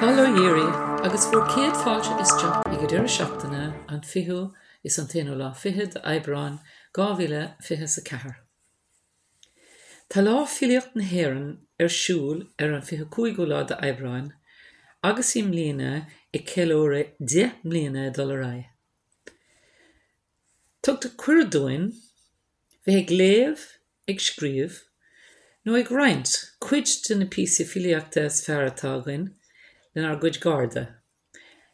Bail ó Dhia oraibh agus bhur gcéad fáilte isteach ag an deireadh seachtaine an 20ú is an t-aonú lá fichead d'Aibreán 2024. Tá Lá Filíocht na hÉireann ar siúl ar an 25ú lá d'Aibreán agus i mbliana ag ceiliúradh 10 mbliana ag dul ar aghaidh. Tugtar cuireadh dúinn bheith ag léamh, ag scríobh, nó ag roinnt cuid de na píosaí filíochta is fearr atá againn lenár gcuid gcairde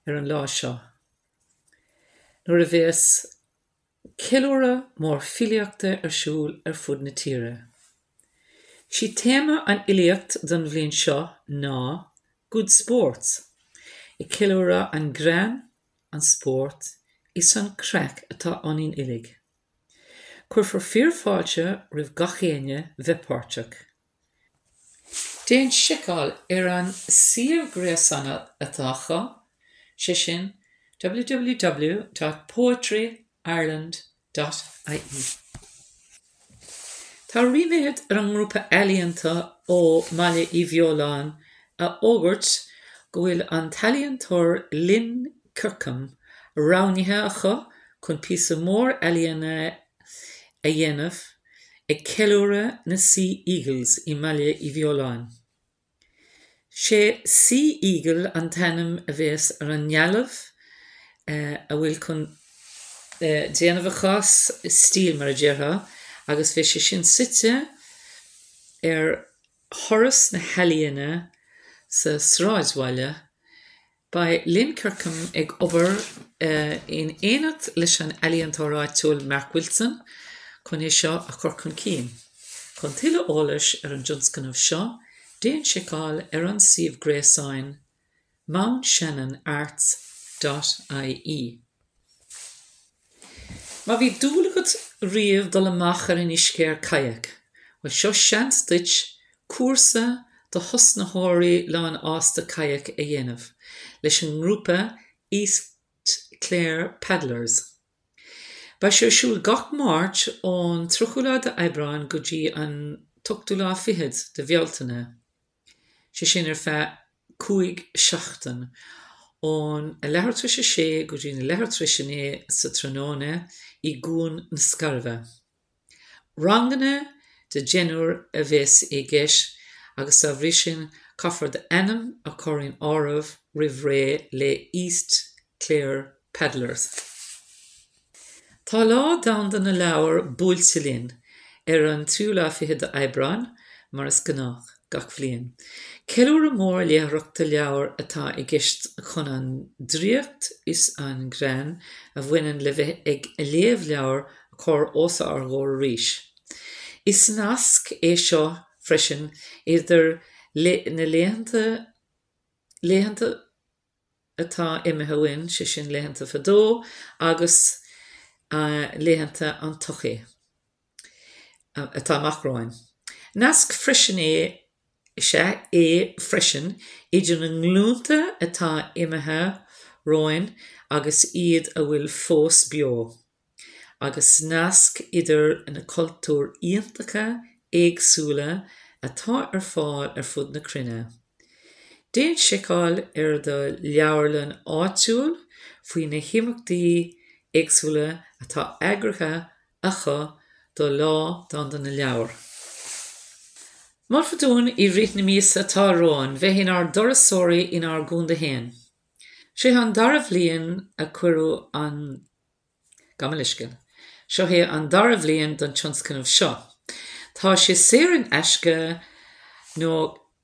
ar an lá seo, nuair a bhéas ceiliúradh mór filíochta ar siúl ar fud na tíre. 'Sí téama an fhilíocht don bhliain seo ná 'Good Sports', ag ceiliúradh an greann, an spórt is an craic atá ionainn uilig. Cuirfear fíor-fháilte roimh gach éinne bheith páirteach. Déan seiceáil ar an suíomh gréasáin atá acu, sé sin www.poetryireland. ie. Tá ríméad ar an ngrúpa ealaíonta ó mBaile Uí Bheoláin a fhógairt go bhfuil an t-ealaíontóir Lynn Kirkham roghnaithe acu chun píosa mór ealaíne a dhéanamh ag ceiliúradh na Sea Eagles i mBaile Uí Bheoláin. Sé Sea Eagle an t-ainm a bhéas ar an ndealbh a bhfuil chun déanamh acu as stíl mar a déarfá agus bheidh sé sin suite ar Thuras na hEalaíne sa sráidbhaile. Beidh Lynn Kirkham ag obair in éineacht leis an ealaíontóir áitiúil Mark Wilson chun é seo a chur chun cinn. Chun tuilleadh eolais ar an dtionscnamh seo, déan seiceáil ar an suíomh gréasáin mountshannonarts dot ie. Má bhí dúil agat riamh dul amach ar an uisce ar kayak, bhuel seo seans duit cúrsa do thosnaitheoirí lánfhásta kayak a dhéanamh leis an ngrúpa East Clare Paddlers. Beidh sé ar siúl gach Máirt ón 30ú lá d'Aibreán go dtí an t-ochtú lá fichead de Bhealtaine. sé sin ar feadh 5 seachtain, ón a leathuair tar éis a sé go dtí a leathuair tar éis a 9 sa tráthnóna i gCuan na Scairbhe. Ranganna de deichniúr a bheas i gceist agus dá bhrí sin caithfear d'ainm a chur in áirithe roimh ré le East Clare Paddlers. Tá Lá Domhanda na Leabhar buailte linn ar an tríú lá fichead d'Aibreán, mar is gnách gach bhliain. Ceiliúradh mór léitheoireachta leabhar atá i gceist chun an draíocht is an greann a bhaineann le bheith ag léamh leabhar a chur os ár gcomhair arís. Is nasc é seo freisin idir na laethanta laethanta atá imithe uainn, sé sin laethanta fadó agus laethanta an todhchaí atá amach romhainn. Nasc freisin é is ea é freisin idir na nglúnta atá imithe romhainn agus iad a bhfuil fós beo. agus nasc idir na cultúir iontacha éagsúla atá ar fáil ar fud na cruinne. Déan seiceáil ar do leabharlann áitiúil faoi na himeachtaí éagsúla atá eagraithe acu do Lá Domhanda na Leabhar. Molfar dúinn i rith na míosa atá romhainn bheith inár dturasóirí inár gcontae féin. Seo é an dara bhliain a cuireadh an. Gabh mo leithscéal. Seo é an dara bhliain don tionscnamh seo. Tá sé saor in aisce nó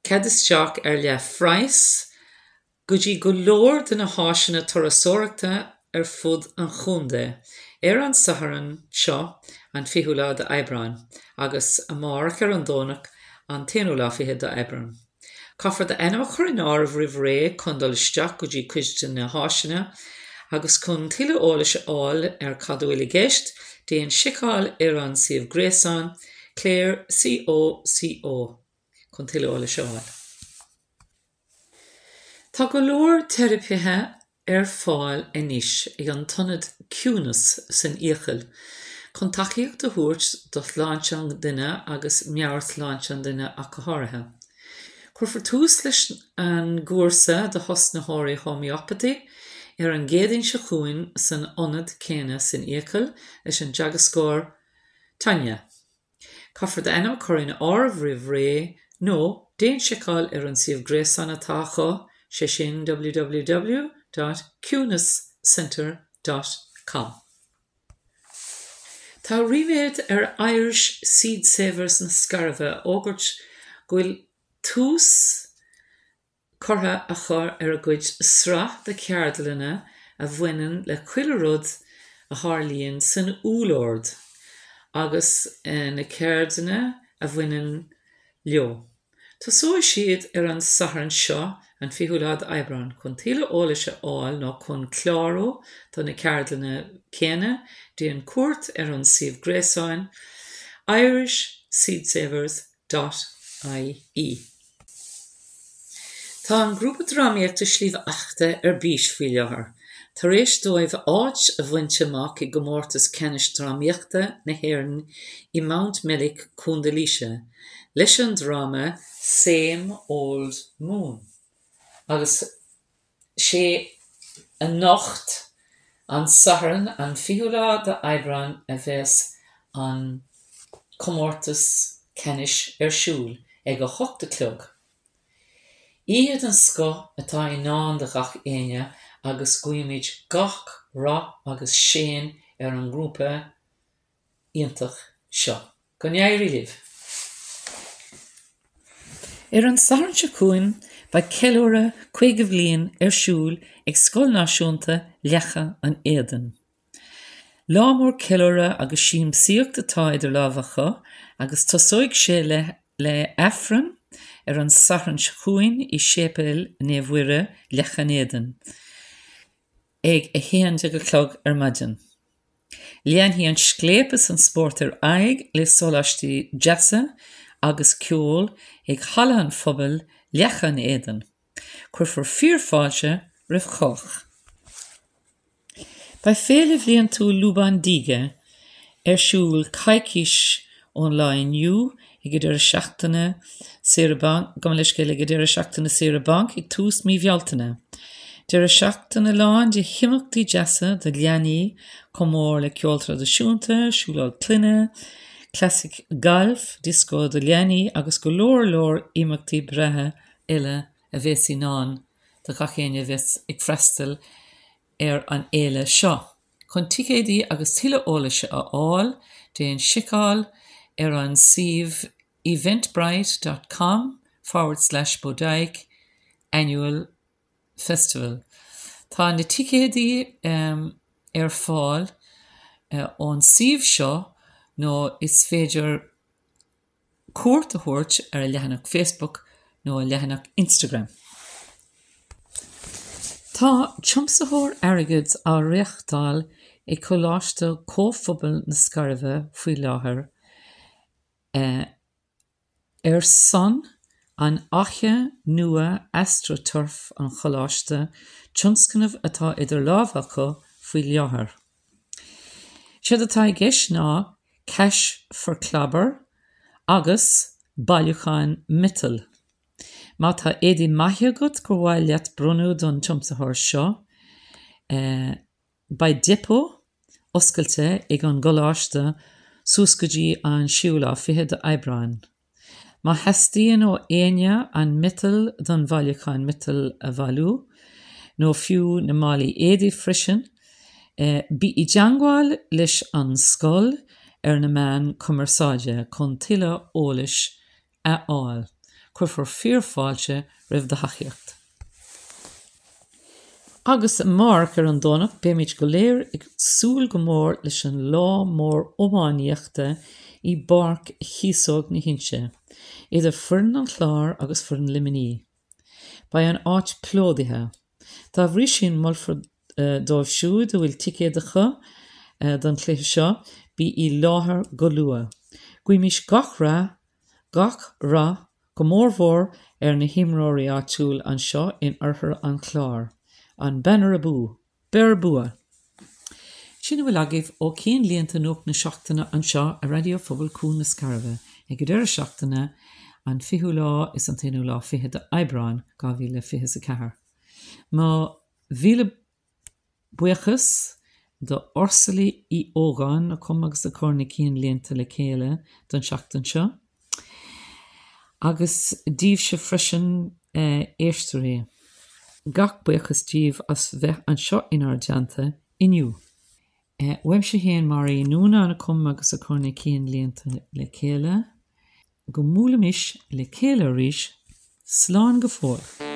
cead isteach ar leath phraghas go dtí go leor de na háiseanna turasóireachta ar fud an chontae ar an Satharn seo an 20ú lá d'Aibreán agus amárach ar an Domhnach an t-aonú lá fichead d'Aibreán. Caithfear d'ainm a chur in áirithe roimh ré chun dul isteach go dtí cuid de na háiseanna agus chun tuilleadh eolais a fháil ar cad a bhfuil i gceist, déan seiceáil ar an suíomh gréasáin Clare COCO chun tuilleadh eolais a fháil. Tá go leor teiripithe ar fáil anois ag an t-ionad Ciúnas san Fhiacail chun tacaíocht a thabhairt do shláinte an duine agus meabhairshláinte an duine ach go háirithe. Cuirfear tús leis an gcúrsa do thosnaitheoirí Homeopathy ar an gCéadaoin seo chugainn san ionad céanna san Fhiacail leis an dteagascóir Tanya. Caithfear d'ainm a chur in áirithe roimh ré nó déan seiceáil ar an suíomh gréasáin atá acu, sé sin www dot ciúnascentre dot com. Tá ríméad ar Irish Seed Savers na Scairbhe a fhógairt go bhfuil tús curtha acu ar a gcuid sraith de cheardlanna a bhaineann le chuile rud a tharlaíonn san úllord agus na ceirdeanna a bhaineann leo. Tosóidh siad ar an Satharn seo, an 20ú lá d'Aibreán. Chun tuilleadh eolais a fháil nó chun clárú do na ceardlanna céanna, déan cuairt ar an suíomh gréasáin irishseedsavers dot ie. Tá an grúpa drámaíochta Sliabh Eachta ar bís faoi láthair, tar éis dóibh áit a bhaint amach i gComórtas Ceannais Drámaíochta na hÉireann i Mountmellick, Co. Laoise, leis an dráma Same Old Moon agus sé anocht, an Satharn an 20ú lá d'Aibreán a bheas an comórtas ceannais ar siúl ag 8 a chlog. Oíche den scoth atá i ndán do ghach éinne agus guímid gach rath agus séan ar an ngrúpa iontach seo. Go n-éirí libh! Ar an Satharn seo chugainn beidh ceiliúradh 50 bhliain ar siúl ag Scoil Náisiúnta Leaca an Éadain. Lá mór ceiliúradh agus siamsaíocht atá idir lámha acu agus tosóidh sé le le Aifreann ar an Satharn seo chugainn i Séipéal Naomh Mhuire, Leac an Éadain. Ag 11 a chlog ar maidin. Leanfaidh an scléip is an spórt ar aghaidh le sóláistí deasa agus ceol ag Halla an Phobail, Leac an Éadain. Cuirfear fíor-fháilte roimh chách. Beidh féile bhliantúil Lúbán Díge ar siúl coicís ón lá inniu ag an deireadh seachtaine saoire bainc, gabh mo leithscéal, ag an deireadh seachtaine saoire bainc ag tús mí Bhealtaine. Deireadh seachtaine lán de himeachtaí deasa do leanaí chomh mór le ceol traidisiúnta, siúlóid clainne, classic gailf, dioscó do leanaí agus go leor leor imeachtaí breátha eile a bheas i ndán do gach éinne a bheas ag freastal ar an fhéile seo. Chun ticéidí agus tuilleadh eolais a fháil, déan seiceáil ar an suíomh eventbrite dot com forward slash Bodyke annual festival. Tá na ticéidí ar fáil ón suíomh seo nó is féidir cuairt a thabhairt ar a leathanach Facebook nó a leathanach Instagram. Tá tiomsaitheoir airgid á reáchtáil ag Coláiste Comhphobail na Scairbhe faoi láthair ar son an Fhaiche Nua AstroTurf an Choláiste, tionscnamh atá idir lámha acu faoi láthair. Séard atá i gceist ná Cash for Clobber agus bailiúchán miotail. Má tá éadaí maithe agat gur mhaith leat bronnadh don tiomsaitheoir seo, beidh depot oscailte ag an gcoláiste suas go dtí an séú lá fichead d'Aibreán. Má theastaíonn ó éinne an miotal don bhailiúchán miotail a bhailiú, nó fiú na málaí éadaí freisin, bí i dteangmháil leis an scoil ar na meáin cumarsáide chun tuilleadh eolais a fháil. Cuirfear fíor-fháilte roimh do thacaíocht. Agus amárach ar an Domhnach beimid go léir ag súil go mór leis an lá mór iománaíochta i bPáirc Chíosóg na hInse, idir foireann an Chláir agus foireann Luimnigh. Beidh an áit plódaithe. Dá bhrí sin molfar dóibh siúd a bhfuil ticéad acu don chluiche seo, bí i láthair go luath. Guímis gach rath, gach rath go mórmhór ar na himreoirí áitiúil anseo in oirthear an Chláir. An Banner Abú! Beir bua! Sin a bhfuil agaibh ó Cinnlíonta Nuacht na Seachtaine anseo ar Raidió Phobal Cuan na Scairbhe ag an deireadh seachtaine. An fichiú lá is an t-aonú lá fichead de Aibreán 2024. Mo mhíle buíochas do Ursula Uí Ógáin a chum agus a chuir na cinnlínte le chéile don seachtain seo. Agus díbhse freisin a éisteoirí. Gach buíochas díbh as bheith anseo inár dteannta inniu. Uaimse féin, Máire Uí Núnáin a chum agus a chuir na cinnlínte le chéile. Go mbuailimis le chéile arís, slán go fóill.